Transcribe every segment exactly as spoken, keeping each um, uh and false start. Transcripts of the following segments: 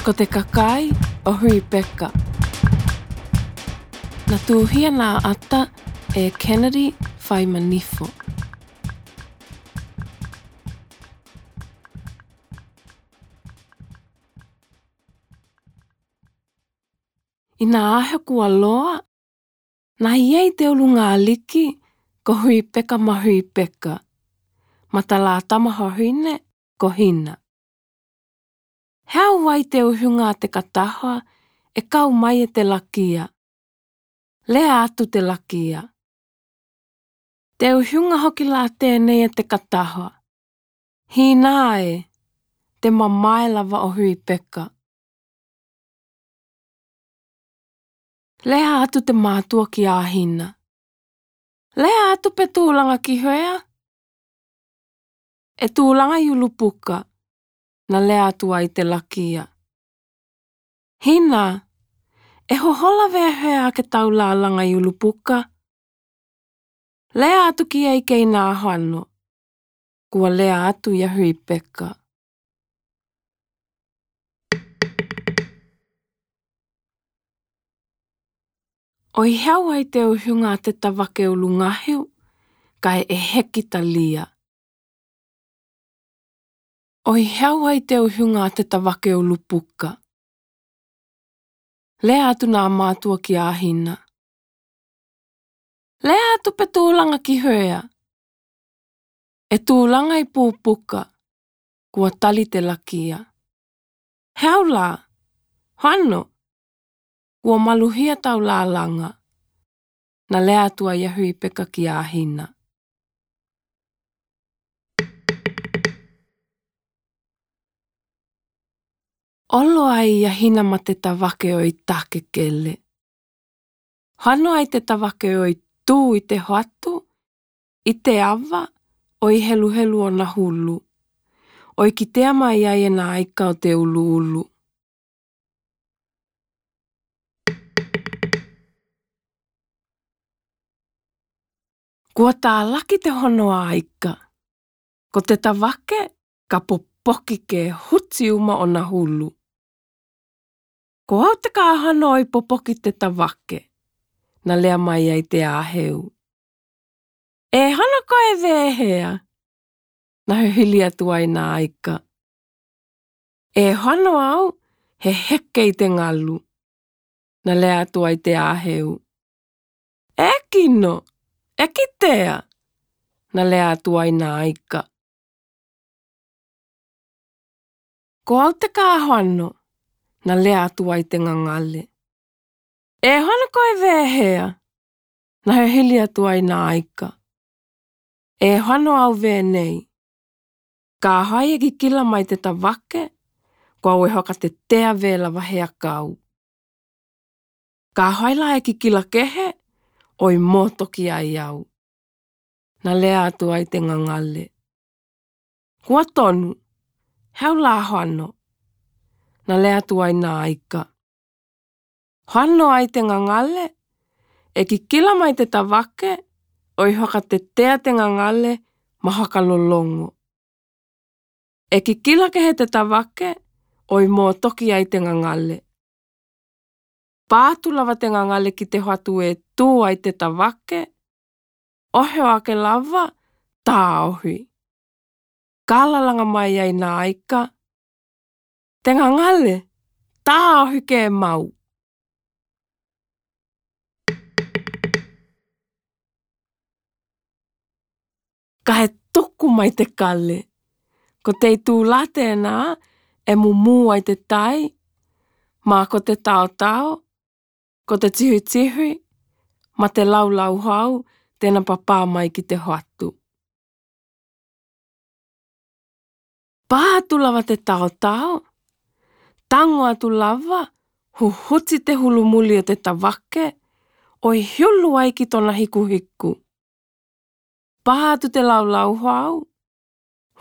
Ko te kakai ʻo Rebecca. Na tuʻuhia nā ʻata ʻe Kennedy Faimanifo. ʻI nā ʻaho kuo loa, naʻe ʻi ai te ulungāliki ko Rebecca ma Rebecca, ma tā lā tama vahine ko Hina. He ʻaʻau ai te uhiunga ʻa te kataha ʻe kau mai e te lakia. Lea atu te lakia: Te uhiunga hoki lā tēnei ʻa te kataha. Hina ē, te mamae lava ʻo Rebecca. Lea atu te mātuʻa kia Hina: Lea atu pe tūlanga ki hea? E tūlanga ʻi ʻUlupuka, na lea atu ai te lakia. Hina, e hohola vehea ke tau lālanga ʻi ʻUlupuka? Lea atu ki ai kei nā Hano, kuo lea atu ia Rebecca. ʻOi he ʻaʻau ai te uhiunga ʻa te tavake ʻUlungahiu, kae ʻe heki talia. ʻOi he ʻaʻau ai te uhiunga ʻa te tavake ʻUlupuka. Lea atu nā mātuʻa kia Hina: Lea atu pe tūlanga ki hea? E tūlanga ʻi Pupuka, kuo tali te lakia. He ʻaʻau lā, Hano, kuo maluhia tau lālanga. Na lea atu ai ia Rebecca kia Hina. ʻOlo ai ia Hina ma te tavake ʻo ʻi Takekele. Hano ai te tavake ʻo ʻi tū ʻi te hoatu, ʻi te ava, ʻo ʻi heluhelu ʻona hulu, ʻo ʻi kitea mai ai e nā ika ʻo te ʻuluʻulu. Kuo tālaki te hono ika, ko te tavake ka popoki ke huti uma ʻona hulu. Ko au te kā Hano ʻo ʻi popoki te tavake, na lea mai ai te ʻāheu. E Hano koe vehea? Na hehili atu ai nā ika. E Hano au he heke ʻi te ngalu, na lea atu ai te ʻāheu. E kino, e kitea, na lea atu ai nā ika. Ko au te kā Hano, na lea atu ai te gagale. E Hano koe vehea? Na hehili atu ai nā ika. E Hano au venei. Ka hai e kikila mai te tavake, ko au e hakatetea vela vahe akau. Ka hai lā e kikila kehe, ʻo ʻi motoki ai au. Na lea atu ai te gagale. Kuo tonu, he ʻaʻau lā Hano. Na lea atu ai nā ika. Hano ai te gagale, e kikila mai te tavake, ʻo ʻi hakatetea te gagale, ma hakalolongo. E kikila kehe te tavake, ʻo ʻi motoki ai te gagale. Pā atu lava te gagale ki te hoatu e tū ai te tavake, ʻohio ake lava, tāohi. Ka lalanga mai ai nā ika. Te gagale, tāohi ke mau. Kae tuku mai te kale. Ko te itūlā tēnā, e mumū ai te tai, ma ko te taotao, ko te tihitihi, ma te laulauhau, tēnā papā mai ki te hoatu. Pā atu lava te taotao, tango atu lava, huhuti te hulu muli ʻo te tavake, ʻo ʻi hulu ai ki tona hikuhiku. Pā atu te laulauhau,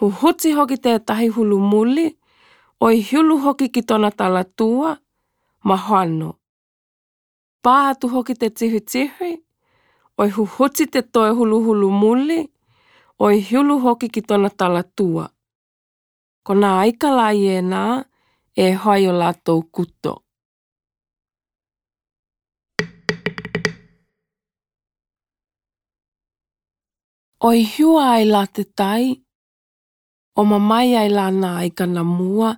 huhuti hoki te tahi hulu muli, ʻo ʻi hulu hoki ki tona talatua, ma Hano. Pā atu hoki te tihitihi, ʻo ʻi huhuti te toe huluhulu muli, ʻo ʻi hulu hoki ki tona talatua. Ko nā ika lā ʻi ʻenā, e hoai o lātou kuto. ʻOi hua ai lā te tai, ʻo mamae ai lā nā ika nā mua,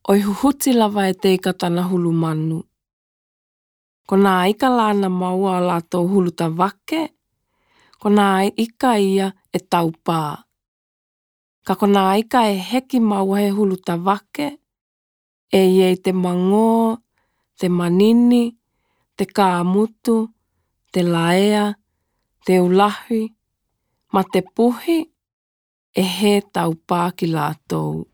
ʻoi huhuti lava e te ika tana hulu manu. Ko nā ika lā nā maua ʻo lātou hulu tavake, ko nā ika ia e taupā. Ka ko nā ika e heki maua he hulu tavake, e ʻi ai te mangō, te manini, te kāmutu, te laea, te ulahi, ma te puhi, e he taupā ki lātou.